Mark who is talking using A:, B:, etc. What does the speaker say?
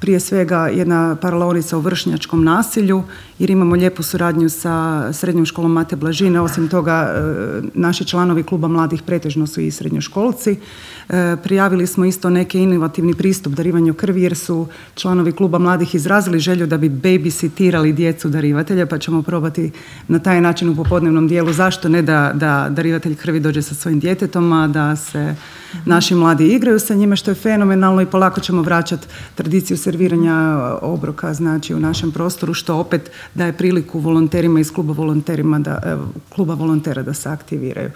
A: prije svega jedna paralaonica o vršnjačkom nasilju, jer imamo lijepu suradnju sa srednjom školom Mate Blažine. Osim toga, naši članovi kluba mladih pretežno su i srednjoškolci. Prijavili smo isto neki inovativni pristup darivanju krvi, jer su članovi kluba mladih izrazili želju da bi babysitirali djecu darivatelja, pa ćemo probati na taj način u popodnevnom dijelu zašto ne da darivatelj krvi dođe sa svojim djetetom, a da se naši mladi igraju sa njime, što je fenomenalno, i polako ćemo vraćati tradiciju serviranja obroka, znači, u našem prostoru, što opet daje priliku volonterima iz kluba volontera da se aktiviraju.